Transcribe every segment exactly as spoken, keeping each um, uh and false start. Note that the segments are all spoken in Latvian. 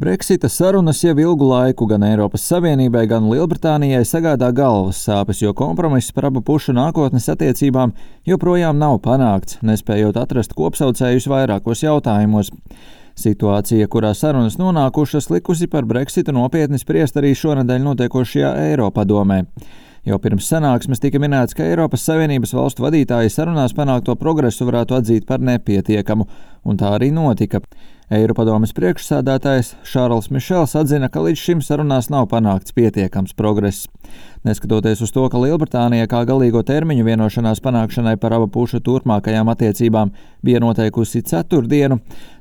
Brexita sarunas jau ilgu laiku gan Eiropas Savienībai, gan Lielbritānijai sagādā galvas sāpes, jo kompromiss par abu pušu nākotnes attiecībām joprojām nav panākts, nespējot atrast kopsaucējus vairākos jautājumos. Situācija, kurā sarunas nonākušas, likusi par Brexitu nopietni spriest arī šonedēļ notiekošajā Eiropadomē. Jau pirms sanāksmes tika minēts, ka Eiropas Savienības valstu vadītāji sarunās panākto progresu varētu atzīt par nepietiekamu, un tā arī notika. Eiropadomes priekšsēdētājs Šārls Mišels atzina, ka līdz šim sarunās nav panākts pietiekams progress. Neskatoties uz to, ka Lielbritānija kā galīgo termiņu vienošanās panākšanai par abu pušu turpmākajām attiecībām bija noteikusi ceturtdienu,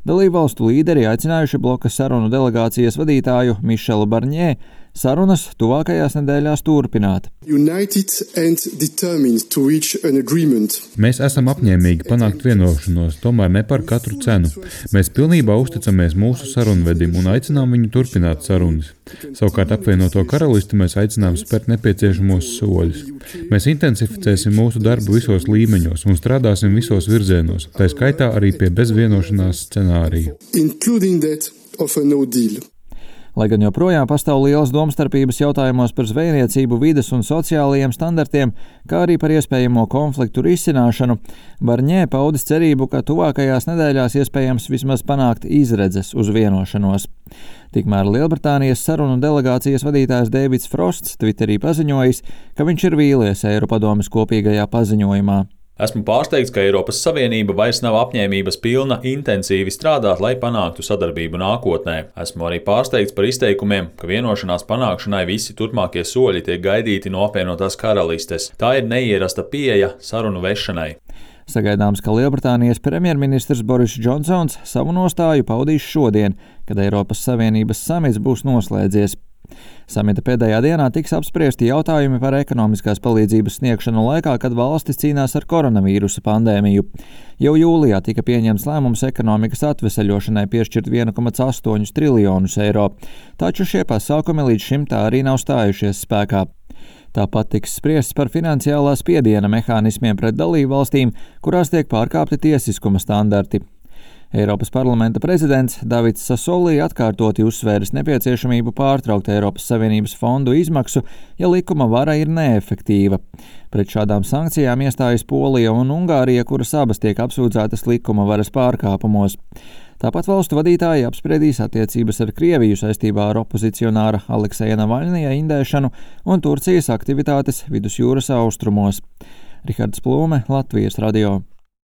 dalībvalstu līderi aicinājuši bloka sarunu delegācijas vadītāju Mišelu Barņē sarunas tuvākajās nedēļās turpināt. Mēs esam apņēmīgi panākt vienošanos, tomēr ne par katru cenu. Mēs pilnībā uzticamies mūsu sarunvedim un aicinām viņu turpināt sarunas. Savukārt apvienoto karalisti mēs aicinām spērt nepieciešamos soļus. Mēs intensificēsim mūsu darbu visos līmeņos un strādāsim visos virzienos, tā skaitā arī pie bezvienošanās scenārija. Lai gan joprojām pastāv lielas domstarpības jautājumos par zvejniecību, vides un sociālajiem standartiem, kā arī par iespējamo konfliktu risināšanu, Barņē paudis cerību, ka tuvākajās nedēļās iespējams vismaz panākt izredzes uz vienošanos. Tikmēr Lielbritānijas sarunu delegācijas vadītājs Deivids Frosts Twitterī paziņojis, ka viņš ir vīlies Eiropadomes kopīgajā paziņojumā. Esmu pārsteigts, ka Eiropas Savienība vairs nav apņēmības pilna intensīvi strādāt, lai panāktu sadarbību nākotnē. Esmu arī pārsteigts par izteikumiem, ka vienošanās panākšanai visi turpmākie soļi tiek gaidīti no apvienotās karalistes. Tā ir neierasta pieeja sarunu vešanai. Sagaidāms, ka Lielbritānijas premjerministrs Boris Džonsons savu nostāju paudīs šodien, kad Eiropas Savienības samits būs noslēdzies. Samita pēdējā dienā tiks apspriesti jautājumi par ekonomiskās palīdzības sniegšanu laikā, kad valstis cīnās ar koronavīrusa pandēmiju. Jau jūlijā tika pieņemts lēmums ekonomikas atveseļošanai piešķirt viens komats astoņi triljonus eiro, taču šie pasākumi līdz šim tā arī nav stājušies spēkā. Tāpat tiks spriests par finansiālā spiediena mehānismiem pret dalībvalstīm, kurās tiek pārkāpti tiesiskuma standarti. Eiropas parlamenta prezidents Davids Sasolī atkārtoti uzsvēris nepieciešamību pārtraukt Eiropas Savienības fondu izmaksu, ja likuma vara ir neefektīva. Pret šādām sankcijām iestājas Polija un Ungārija, kuras abas tiek apsūdzētas likuma varas pārkāpumos. Tāpat valstu vadītāji apspriedīs attiecības ar Krieviju saistībā ar opozicionāra Alekseja Navaļnija indēšanu un Turcijas aktivitātes vidusjūras austrumos. Rihards Plūme, Latvijas radio.